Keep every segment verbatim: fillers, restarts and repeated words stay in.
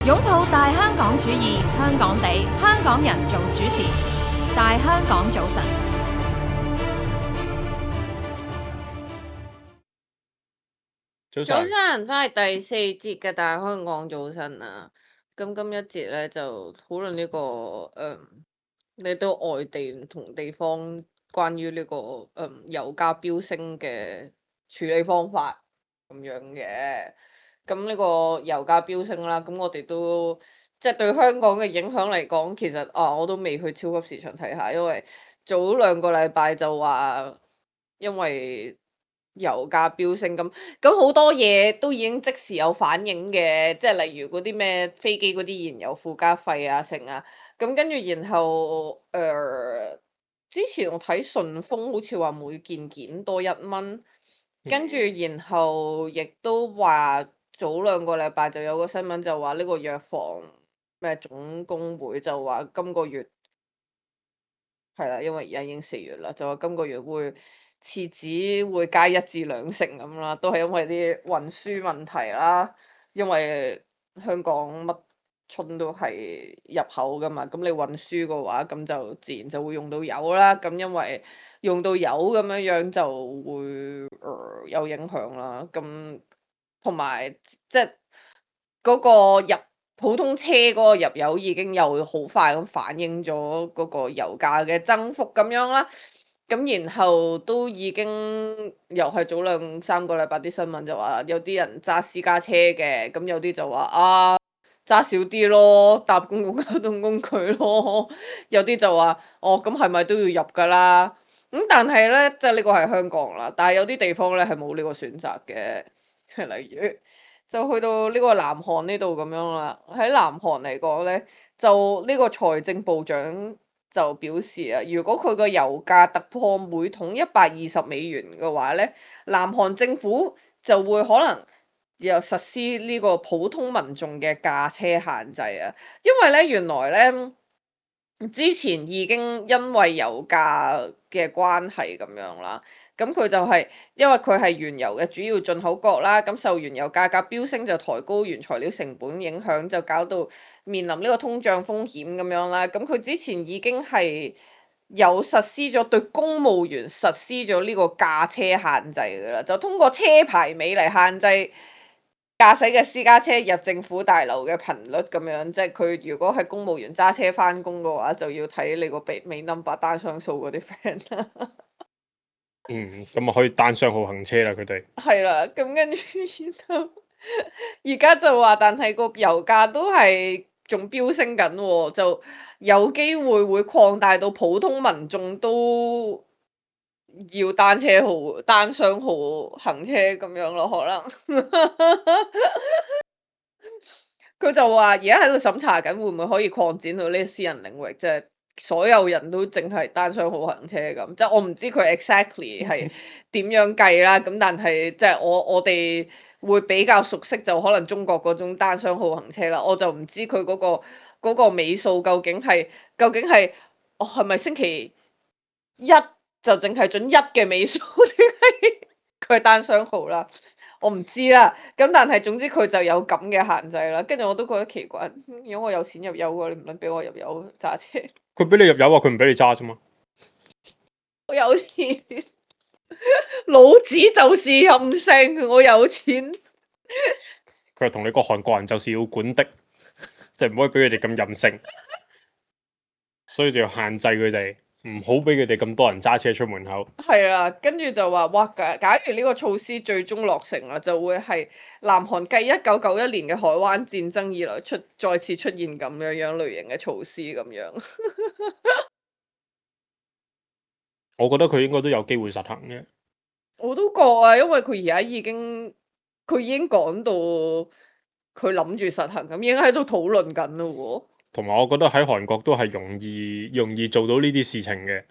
擁抱大香港主義，香港地，香港人做主持。大香港早晨，早早晨，晨，翻嚟第四節嘅大香港早晨啊！咁今一節咧就討論呢個誒，你到外地唔同地方關於呢個誒油價飆升嘅處理方法咁樣嘅。咁呢個油價飆升啦，咁我哋都即係對香港嘅影響嚟講，其實啊我都未去超級市場睇下，因為早兩個禮拜就話因為油價飆升咁，咁好多嘢都已經即時有反應嘅，即係例如嗰啲咩飛機嗰啲燃油附加費啊，成啊，咁跟住然後誒、呃之前我睇順豐好似話每件件多一蚊，跟住然後亦都話早兩個禮拜就有個新聞就話呢個藥房咩總工會就話今個月。係啦，因為而家已經四月啦，就話今個月會廁紙會加一至兩成咁啦，都係因為啲運輸問題啦。因為香港乜春都係入口噶嘛，咁你運輸嘅話，咁就自然就會用到油啦。咁因為用到油咁樣樣就會、呃、有影響啦。咁同埋即係嗰個入普通車嗰個入油已經又好快咁反映咗嗰個油價嘅增幅咁樣啦。咁然後都已經又係早兩三個禮拜啲新聞就話有啲人揸私家車嘅，咁有啲就話啊揸少啲咯，搭公共交通工具咯。有啲就話哦，咁係咪都要入㗎啦？咁但係咧，即係呢個係香港啦，但係有啲地方咧係冇呢個選擇嘅，即係例如。就去到呢個南韓呢度咁樣啦。喺南韓嚟講咧，就呢個財政部長就表示啊，如果佢個油價突破每桶一百二十美元嘅話咧，南韓政府就會可能又實施呢個普通民眾嘅駕車限制啊。因為咧原來咧之前已經因為油價嘅關係咁樣啦。咁佢就係、是、因為佢係原油嘅主要進口國啦，咁受原油價格飆升就抬高原材料成本影響，就搞到面臨呢個通脹風險咁樣啦。咁佢之前已經係有實施咗對公務員實施咗呢個駕車限制㗎啦，就通過車牌尾嚟限制駕駛嘅私家車入政府大樓嘅頻率咁樣，即係佢如果係公務員揸車返工嘅話，就要睇你個尾尾 number 單雙數嗰啲 friend 啦。嗯，咁啊可以單雙號行車啦，佢哋。係啦，咁跟住然後而家就話，但係個油價都係仲飆升緊喎，就有機會會擴大到普通民眾都要單車號、單雙號行車咁樣咯，可能。佢就話而家喺度審查緊，會唔會可以擴展到呢個私人領域，即係所有人都淨係單雙號行車咁。即係我唔知佢 exactly 係點樣計啦。咁但係即係我我哋會比較熟悉，就可能中國嗰種單雙號行車啦。我就唔知佢嗰個嗰個尾數究竟係究竟係哦係咪星期一就淨係準一嘅尾數，定係佢係單雙號啦？我唔知啦，咁但係總之佢就有咁嘅限制啦，跟住我都覺得奇怪，嗯如果我有錢入油喎，你唔撚俾我入油揸車，佢俾你入油啊，佢唔俾你揸啫嘛。我有錢，老子就是任性，我有錢，佢係同你個韓國人就是要管的，即係唔可以俾佢哋咁任性，所以就要限制佢哋，唔好俾佢哋咁多人揸車出門口。係啦，跟住就話哇，假假如呢個措施最終落成啦，就會係南韓繼一九九一年嘅海灣戰爭以來出再次出現咁樣樣類型嘅措施咁樣。我覺得佢應該都有機會實行嘅。我都覺啊，因為佢而家已經佢已經講到佢諗住實行咁，已經喺度討論緊咯喎。同埋我覺得喺韓國都係容易容易做到呢啲事情嘅。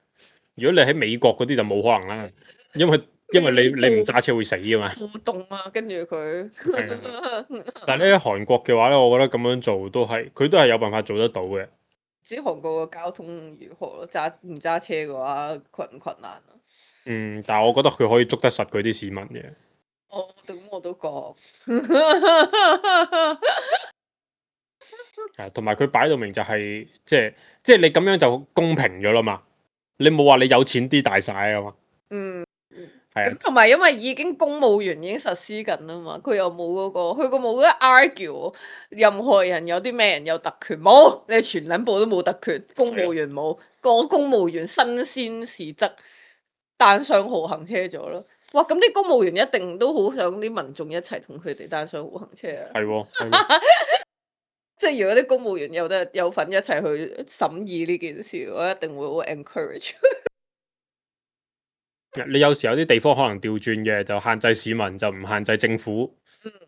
如果你喺美國嗰啲就冇可能啦，因為因為你你唔揸車會死噶嘛。互動啊，跟住佢。係啊，但係咧韓國嘅話咧，我覺得咁樣做都係佢都係有辦法做得到嘅。唔知韓國嘅交通如何咯？揸唔揸車嘅話困唔困難啊？嗯，但係我覺得佢可以捉得實佢啲市民嘅。哦，咁我都覺。係同埋佢擺到明就係、即係即係你咁樣就公平咗啦嘛。你冇話你有錢啲大晒啊嘛。嗯。係啊，咁同埋因為已經公務員已經實施緊啦嘛，佢又冇嗰、個，佢個冇得 argue 任何人有啲咩人有特權，冇，你全撚部都冇特權，公務員冇，個公務員新鮮時則單雙號行車咗咯。哇！咁啲公務員一定都好想啲民眾一齊同佢哋單雙號行車啊！係喎，係喎。即係如果啲公務員有得有份一齊去審議呢件事，我一定會好 encourage。你有時有啲地方可能調轉嘅，就限制市民，就唔限制政府。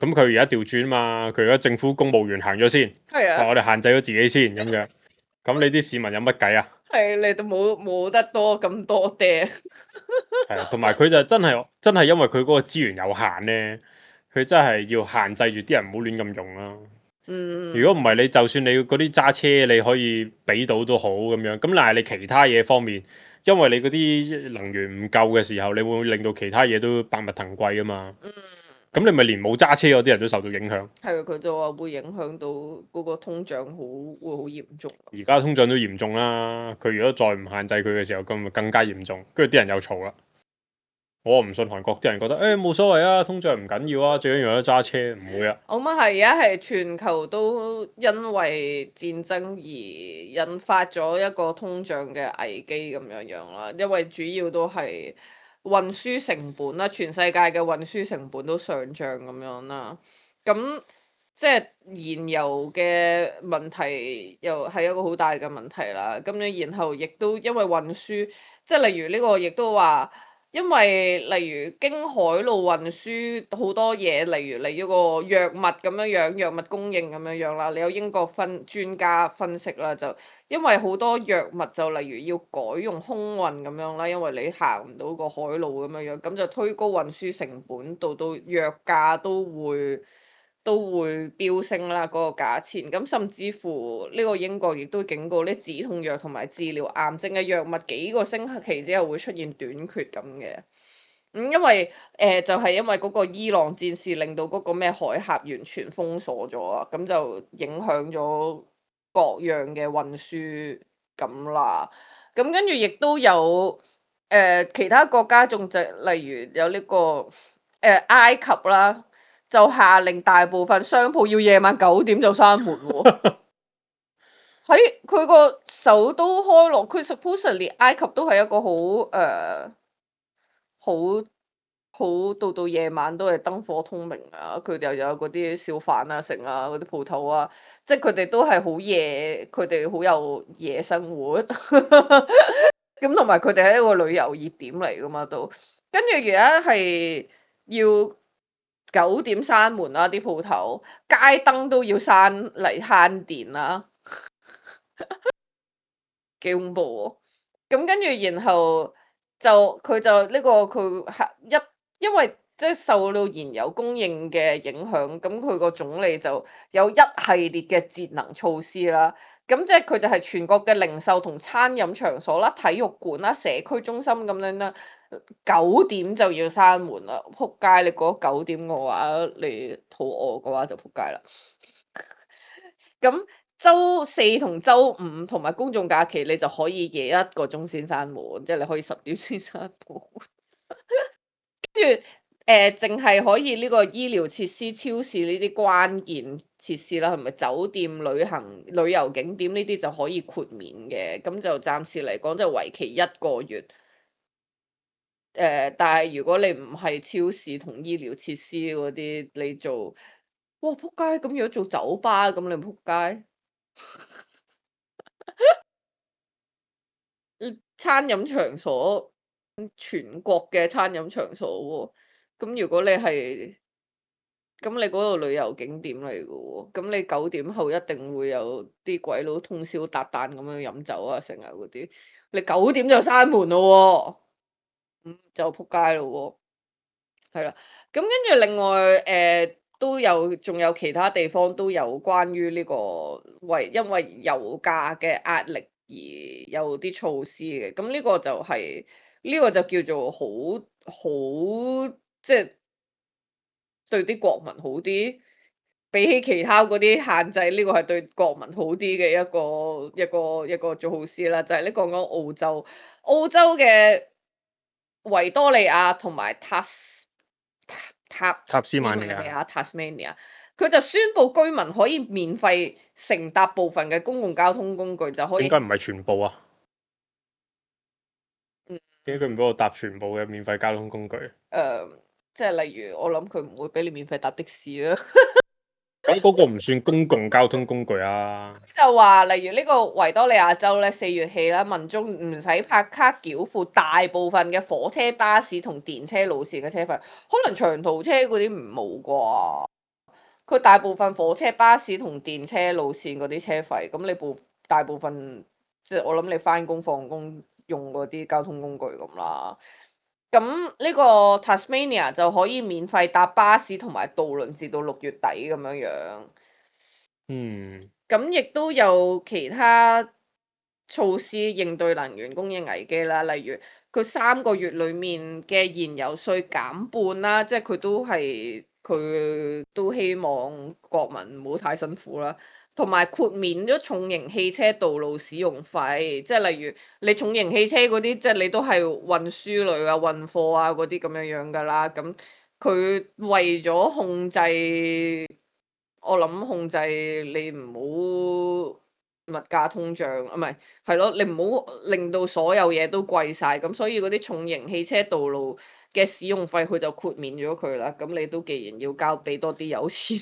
咁佢而家調轉嘛，佢而家政府公務員行咗先，係啊，話我哋限制咗自己先咁樣。咁你啲市民有乜計啊？係你都冇冇得多咁多嗲。係啊，同埋佢就真係真係因為佢嗰個資源有限呢，佢真係要限制住啲人唔好亂咁用啦。嗯，如果唔係，你就算你嗰啲揸車你可以俾到都好咁樣，咁但係你其他嘢方面，因為你嗰啲能源唔夠嘅時候，你會令到其他嘢都百物騰貴啊嘛。嗯。咁你咪連冇揸車嗰啲人都受到影響。係啊，佢就話會影響到嗰個通脹好會好嚴重。而家通脹都嚴重啦，佢如果再唔限制佢嘅時候，咁咪更加嚴重。跟住啲人又嘈啦。我唔信韓國啲人覺得誒冇所謂啊，通脹唔緊要啊，最緊要有得揸車，唔會啊。我諗係而家係全球都因為戰爭而引發咗一個通脹嘅危機咁樣樣啦，因為主要都係運輸成本啦，全世界嘅運輸成本都上漲咁樣啦，咁即係燃油嘅問題又係一個好大嘅問題啦。咁樣然後亦都因為運輸，即係例如呢個亦都話。因為例如經海路運輸好多嘢，例如你嗰個藥物咁樣樣，藥物供應咁樣樣啦，你有英國分專家分析啦，就因為好多藥物就例如要改用空運咁樣啦，因為你行唔到個海路咁樣樣，咁就推高運輸成本，到到藥價都會。都會飆升啦，嗰個價錢。咁甚至乎呢個英國亦都警告啲止痛藥同埋治療癌症嘅藥物幾個星期之後會出現短缺咁嘅。咁因為誒、呃、就係、是、因為嗰個伊朗戰事令到嗰個咩海峽完全封鎖咗啊，咁就影響咗各樣嘅運輸咁啦。咁跟住亦都有誒、呃、其他國家仲就例如有呢、這個誒、呃、埃及啦。就下令大部分商鋪要夜晚九點就閂門喎。喺佢個首都開羅，佢 supposedly 埃及都係一個好誒好好到到夜晚都係燈火通明啊！佢哋又有嗰啲小販啊、成啊嗰啲鋪頭啊，即係佢哋都係好夜，佢哋好有夜生活。咁同埋佢哋係一個旅遊熱點嚟噶嘛都，跟住而家係要。九點閂門啦，啲鋪頭街燈都要閂嚟慳電啦，幾恐怖喎！咁跟住然後就佢就呢、這個佢係一，因為即係受到燃油供應嘅影響，咁佢個總理就有一系列嘅節能措施啦。咁即係佢就係全國嘅零售同餐飲場所啦、體育館啦、社區中心咁樣啦。九點就要閂門啦，仆街！你過咗九點嘅話，你肚餓嘅話就仆街啦。咁周四同周五同埋公眾假期，你就可以夜一個鐘先閂門，即係你可以十點先閂門。跟住誒，淨係可以呢個醫療設施、超市呢啲關鍵設施啦，係咪酒店、旅行、旅遊景點呢啲就可以豁免嘅？咁就暫時嚟講就為期一個月。誒、呃，但係如果你唔係超市同醫療設施嗰啲，你做，哇撲街！咁如果做酒吧咁，你撲街。餐飲場所，全國嘅餐飲場所喎，咁如果你係，咁你嗰度旅遊景點嚟嘅喎，咁你九點後一定會有啲鬼佬通宵達旦咁樣飲酒啊，成日嗰啲，你九點就閂門咯喎，咁就撲街咯喎，係啦，咁跟住另外誒、呃、都有，仲有其他地方都有關於呢、這個為因為油價嘅壓力而有啲措施嘅，咁呢個就係、是、呢、這個就叫做好好即係對啲國民好啲，比比起其他嗰啲限制，呢、個係對國民好啲嘅一個一個一個措施啦。就係、呢個講澳洲，澳洲嘅維多利亞同埋塔斯塔塔塔斯曼尼尼亞亞 Tasmania，佢就宣布居民可以免費乘搭部分嘅公共交通工具，就可以點解唔係全部啊？嗯點解佢唔俾我搭全部嘅免費交通工具？誒、呃即係例如我諗佢唔會俾你免費搭的士啦。咁嗰個唔算公共交通工具啊。就話例如呢個維多利亞州咧，四月起啦，民眾唔使拍卡繳付大部分嘅火車、巴士同電車路線嘅車費，可能長途車嗰啲唔冇啩。佢大部分火車、巴士同電車路線嗰啲車費，咁你部大部分即係我諗你翻工放工用嗰啲交通工具咁啦。咁呢個 Tasmania 就可以免費搭巴士同埋渡輪至到六月底咁樣樣。嗯，咁亦都有其他措施應對能源供應危機啦，例如佢三個月裡面嘅燃油稅減半啦，即係佢都係佢都希望國民唔好太辛苦啦，同埋豁免咗重型汽車道路使用費，即係例如你重型汽車嗰啲，即係你都係運輸類啊、運貨啊嗰啲咁樣樣㗎啦，咁佢為咗控制。我諗控制你唔好物價通脹，啊唔係係咯，你唔好令到所有嘢都貴晒，咁所以嗰啲重型汽車道路嘅使用費佢就豁免咗佢啦。咁你都既然要交俾多啲有錢，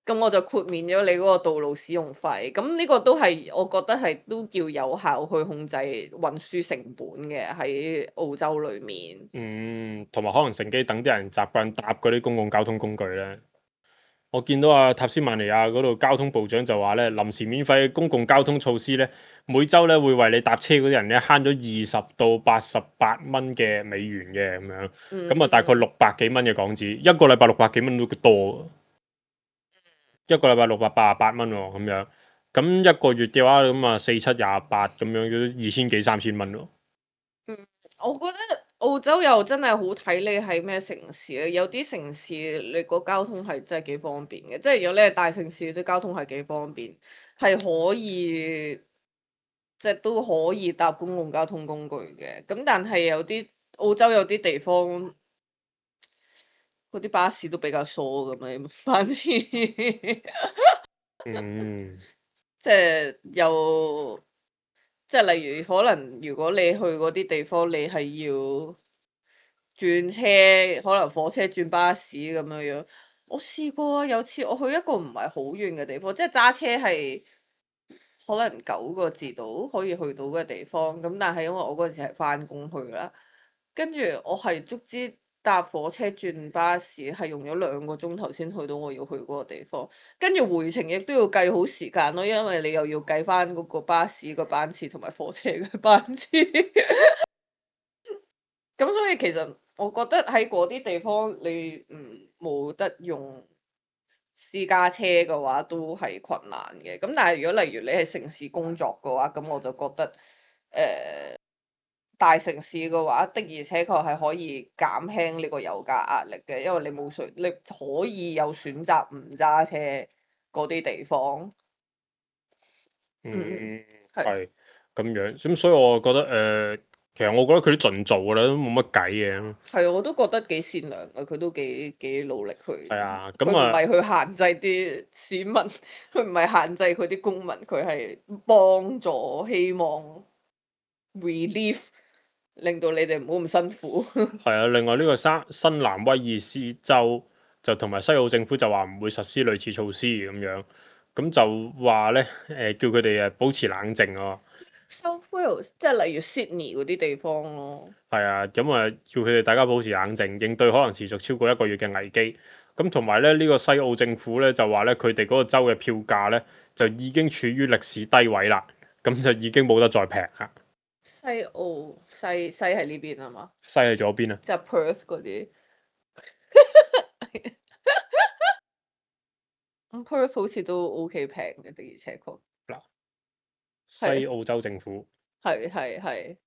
咁我就豁免咗你嗰個道路使用費。咁呢個都係我覺得係都叫有效去控制運輸成本嘅喺澳洲裡面。嗯，同埋可能乘機等啲人習慣搭嗰啲公共交通工具咧。我見到啊塔斯曼尼亞嗰度交通部長就話咧，臨時免費公共交通措施咧，每週咧會為你搭車嗰啲人咧慳咗二十到八十八蚊嘅美元嘅咁樣，咁啊大概六百幾蚊嘅港紙，一個禮拜六百幾蚊都多，一個禮拜六百八十八蚊喎咁樣，咁一個月嘅話咁啊四七廿八咁樣，都二千幾三千蚊喎。嗯，我覺得澳洲又真係好睇你喺咩城市啊，有啲城市你個交通係真係幾方便嘅，即係如果你係大城市啲交通係幾方便，係可以即係都可以搭公共交通工具嘅。咁但係有啲澳洲有啲地方嗰啲巴士都比較疏咁樣班次，即嗯，係又即係例如可能如果你去嗰啲地方，你係要轉車，可能火車轉巴士咁樣樣。我試過啊，有次我去一個唔係好遠嘅地方，即係揸車係可能九個字度可以去到嘅地方。咁但係因為我嗰陣時係翻工去啦，跟住我係足之搭火車轉巴士係用咗兩個鐘頭先去到我要去嗰個地方，跟住回程亦都要計好時間咯，因為你又要計翻嗰個巴士個班次同埋火車嘅班次。咁所以其實我覺得喺嗰啲地方你唔冇得用私家車嘅話，都係困難嘅。咁但係如果例如你係城市工作嘅話，咁我就覺得誒、呃、大城市嘅話的而且確係可以減輕呢個油價壓力嘅，因為你冇選，你可以有選擇唔揸車嗰啲地方。嗯，係係咁樣，咁所以我覺得誒、呃其實我覺得佢都盡做㗎啦，都冇乜計嘅。係，我都覺得幾善良嘅，佢都幾幾努力去。係啊，佢唔咁啊，係去限制啲市民，佢唔係限制佢啲公民，佢係幫助，希望 relief，令到你哋唔好咁辛苦。係啊。另外呢個新新南威爾斯州就同埋西澳政府就話唔會實施類似措施咁樣，咁就話咧誒叫佢哋誒保持冷靜啊。 South Wales 即係例如 Sydney 嗰啲地方咯。係啊，咁啊叫佢哋大家保持冷靜，應對可能持續超過一個月嘅危機。咁同埋咧呢、呢個西澳政府咧就話咧佢哋嗰個州嘅票價咧就已經處於歷史低位啦，咁就已經冇得再平啦。西澳西西係呢邊啊嘛，西喺左邊啊，即係 Perth 嗰啲。咁 Perth 好似都 OK 平嘅，的而且確。嗱，西澳洲政府係係係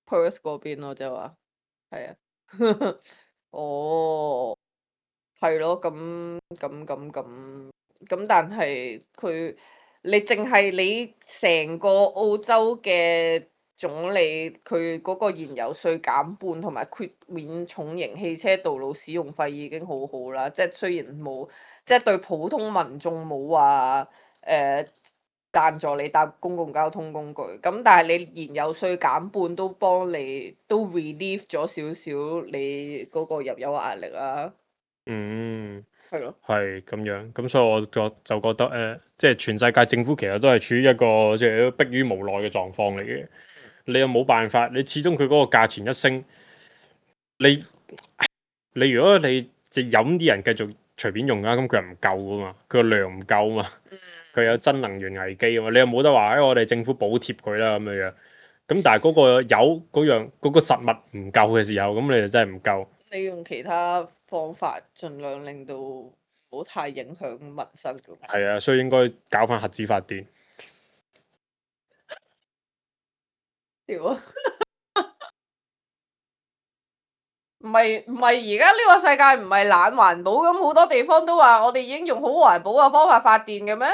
Perth 嗰邊咯，即係話係啊。哦，係咯，咁咁咁咁咁，但係佢你淨係你成個澳洲嘅總理，佢嗰個燃油稅減半同埋豁免重型汽車道路使用費已經好好啦，即係雖然冇，即係對普通民眾冇話誒贊助你搭公共交通工具，咁但係你燃油稅減半都幫你都 relieve 咗少少你嗰個入油壓力啊。嗯，係咯，係咁樣，咁所以我就就覺得誒、呃，即係全世界政府其實都係處於一個即係迫於無奈嘅狀況嚟嘅。你又冇辦法，你始終佢嗰個價錢一升，你你如果你即係飲啲人繼續隨便用啊，咁佢又唔夠噶嘛，佢個量唔夠嘛，佢有真能源危機啊嘛，你又冇得話誒、哎，我哋政府補貼佢啦咁樣樣。咁但係嗰個油嗰樣嗰個實物唔夠嘅時候，咁你就真係唔夠。你用其他方法盡量令到唔好太影響民生咁。係啊，所以應該搞翻核子發電。屌啊！唔係唔係，而家呢個世界唔係懶環保咁，好多地方都話我哋已經用好環保嘅方法發電嘅咩？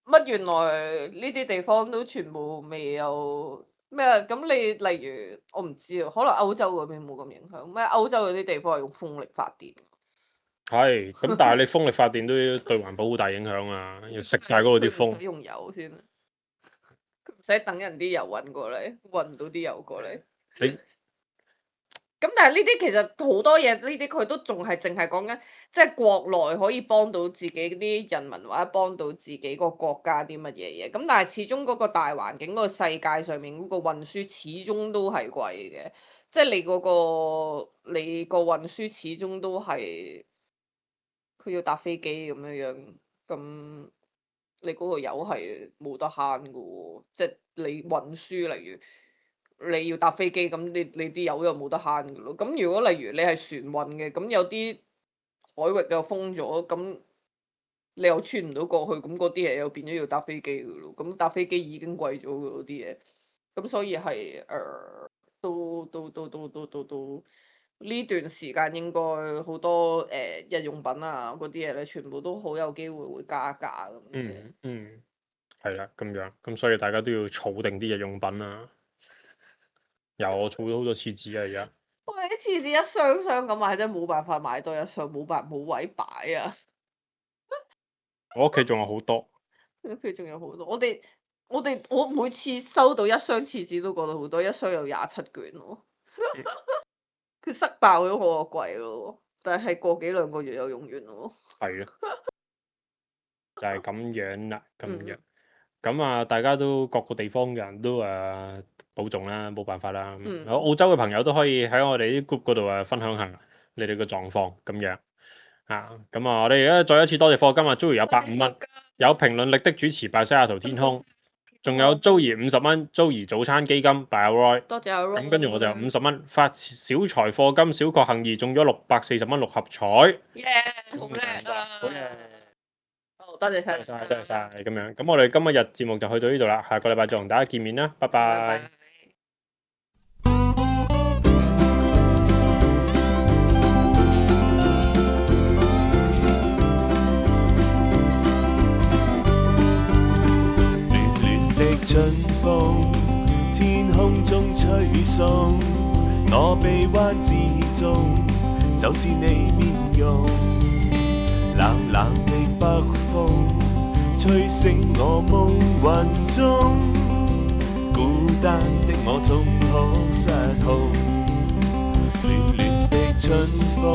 乜原來呢啲地方都全部未有咩？咁你例如我唔知啊，可能歐洲嗰邊冇咁影響咩？歐洲嗰啲地方係用風力發電。係，咁但係你風力發電都對環保好大影響啊！要食晒嗰度啲風。佢唔使用油先，佢唔使等人啲油運過嚟，運到啲油過嚟。你咁但係呢啲其實好多嘢，呢啲佢都仲係淨係講緊，即係國內可以幫到自己啲人民或者幫到自己個國家啲乜嘢嘢。咁但係始終嗰個大環境、嗰個世界上面嗰個運輸始終都係貴嘅，即係你嗰個你個運輸始終都係佢要搭飛機咁樣樣，咁你嗰個油係冇得慳嘅喎，即係你運輸例如。你要搭飛機，咁你你啲油又冇得慳嘅咯。咁如果例如你係船運嘅，咁有啲海域又封咗，咁你又穿唔到過去，咁嗰啲嘢又變咗要搭飛機嘅咯。咁搭飛機已經貴咗嘅咯啲嘢，咁所以係誒、呃、都都都都都都都呢段時間應該好多誒、呃、日用品啊嗰啲嘢咧，全部都好有機會會加價咁。嗯嗯，係啦，咁樣，咁所以大家都要儲定啲日用品啊。有我儲咗好多廁紙啊！而家喂，啲廁紙一箱箱咁買，真係冇辦法買多一箱，冇辦冇位擺啊！我屋企仲有好多，屋企仲有好多。我哋我哋我每次收到一箱廁紙都覺得好多，一箱有廿七卷喎。佢塞爆咗我個櫃咯，但係過幾兩個月又用完咯。係啊，就係咁樣啦，咁樣。嗯咁啊，大家都各個地方嘅人都誒保重啦，冇辦法啦。嗯澳洲嘅朋友都可以喺我哋啲 group 嗰度誒分享下你哋嘅狀況咁樣啊。咁啊，我哋而家再一次多謝課金啊，Joey 有百五蚊，有評論力的主持拜西雅圖天空，仲有 Joey 五十蚊，Joey 早餐基金拜阿 Roy。多謝阿 Roy。咁跟住我就有五十蚊發小財課金，小確幸二中咗六百四十蚊六合彩。耶！好叻啊！好嘢！多謝晒，多謝晒，多謝晒，咁樣。咁我哋今日節目就去到呢度啦，下個禮拜再同大家見面啦，拜拜。暖暖的春風，天空中吹送，我臂彎之中，就是你面容。冷冷的北風，吹醒我夢魂中，孤單的我總可失控。暖暖的春風，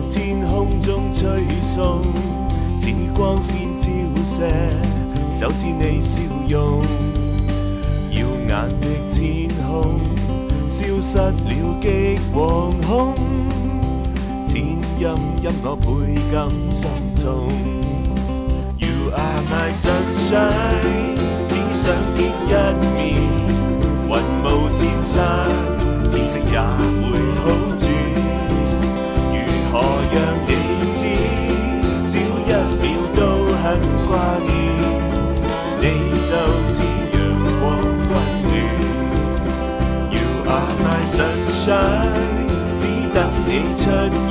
天空中吹送，似光線照射，就是你笑容。耀眼的天空，消失了極惶恐。天陰陰我倍感心痛。You are my sunshine， 只想見一面，雲霧漸散，天色也會好轉。如何讓你知，少一秒都很掛念，你就似陽光溫暖。You are my sunshine， 只等你出現。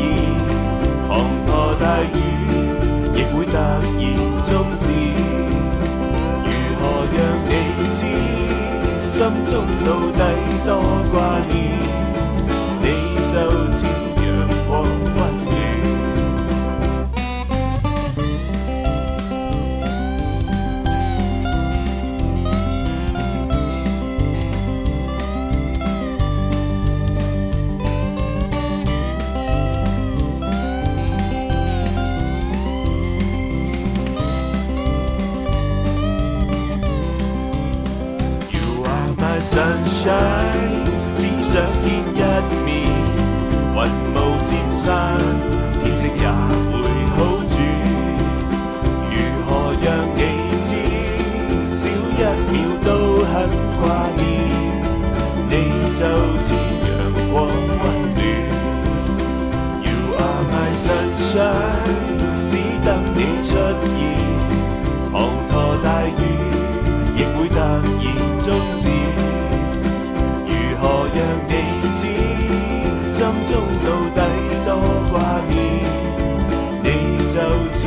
終止。如何讓你知，心中到底多掛念，你就似陽光溫暖。Sunshine， 只想見一面，雲霧漸散，天色也會好轉。如何讓你知，少一秒都很掛念，你就似陽光溫暖。You are my sunshine， 只等你出現，滂沱大雨亦會突然終止。如何讓你知，心中到底多掛念，你就似